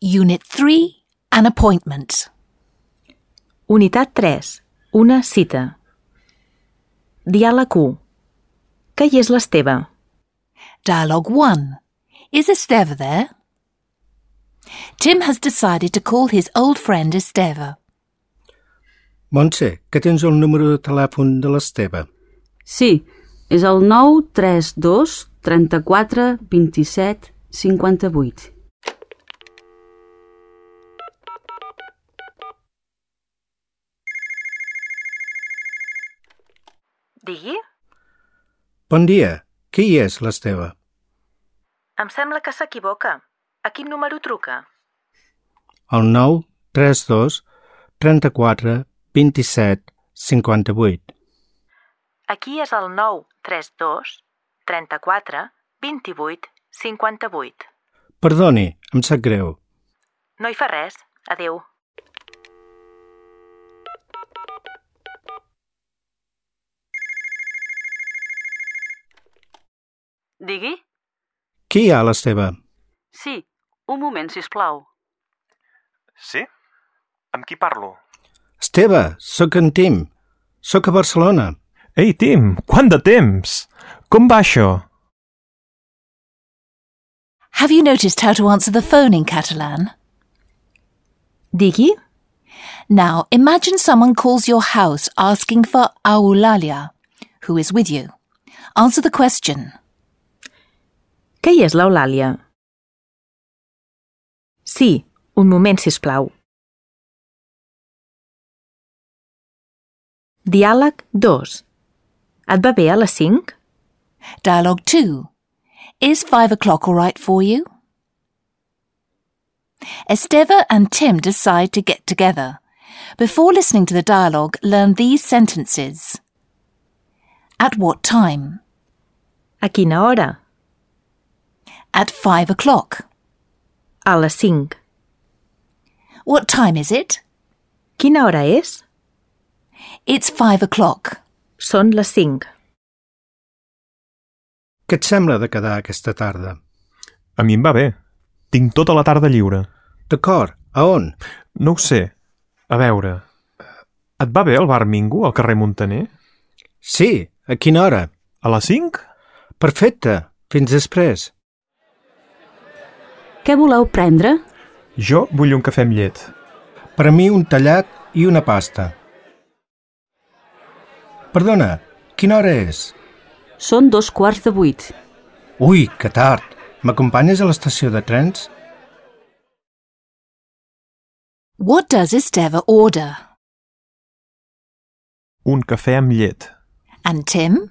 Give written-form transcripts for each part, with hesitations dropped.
Unit 3, an appointment. Unitat 3. Una cita. Diàleg 1. Què hi és l'Esteve? Dialogue 1. Is Esteve there? Tim has decided to call his old friend Esteve. Montse, que tens el número de telèfon de l'Esteve? Sí, és el 932 34 27 58. Digui? Bon dia, qui hi és l'Esteve? Em sembla que s'equivoca. A quin número truca? El 932 34 27 58. Aquí és el 932 34 28 58. Perdoni, em sap greu. No hi fa res. Adéu. Digui? Qui hi ha l'Esteve? Sí, un moment, sisplau. Sí? Amb qui parlo? Esteve, sóc en Tim. Sóc a Barcelona. Ei, Tim, quant de temps! Com va això? Have you noticed how to answer the phone in Catalan? Digui? Now, imagine someone calls your house asking for Eulàlia, who is with you. Answer the question. Què hi és l'Eulàlia? Sí, un moment, sisplau. Diàleg 2. Et va bé a les 5? Dialogue 2. Is 5 o'clock all right for you? Esteve and Tim decide to get together. Before listening to the dialogue, learn these sentences. At what time? A quina hora? At 5 o'clock. A les 5. What time is it? Quina hora és? It's 5 o'clock. Són les 5. Què et sembla de quedar aquesta tarda? A mi em va bé. Tinc tota la tarda lliure. D'acord, a on? No ho sé. A veure... Et va bé el bar Mingo al carrer Muntaner? Sí, a quina hora? A les 5? Perfecte, fins després. Què voleu prendre? Jo vull un cafè amb llet. Per a mi un tallat i una pasta. Perdona, quina hora és? Són 7:15. Ui, que tard. M'acompanyes a l'estació de trens? What does Esteve order? Un cafè amb llet. And Tim?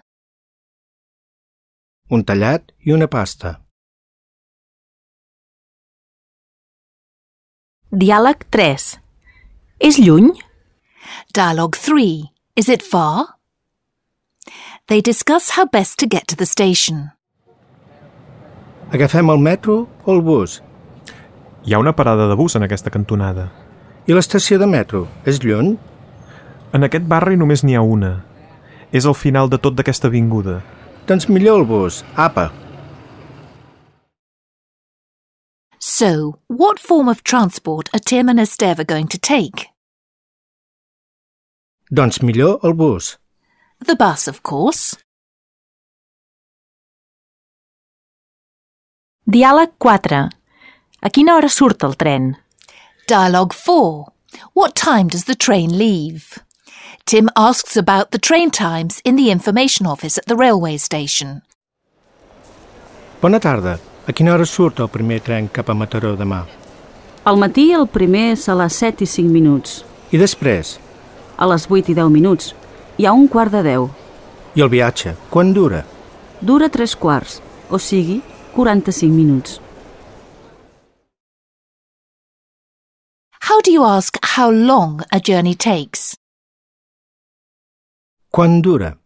Un tallat i una pasta. Diàleg 3. És lluny? Dialogue 3. Is it far? They discuss how best to get to the station. Agafem el metro o el bus? Hi ha una parada de bus en aquesta cantonada. I l'estació de metro, és lluny? En aquest barri només n'hi ha una. És al final de tot d'aquesta avinguda. Doncs millor el bus, apa. So, what form of transport are Tim and Esteve going to take? Doncs millor el bus. The bus, of course. Diàleg 4. A quina hora surt el tren? Dialogue 4. What time does the train leave? Tim asks about the train times in the information office at the railway station. Bona tarda. A quina hora surt el primer tren cap a Mataró demà? Al matí el primer és a les 7:05. I després? A les 8:10. Hi ha 9:45. I el viatge, quan dura? Dura 3/4, o sigui, 45 minuts. How do you ask how long a journey takes? Quan dura?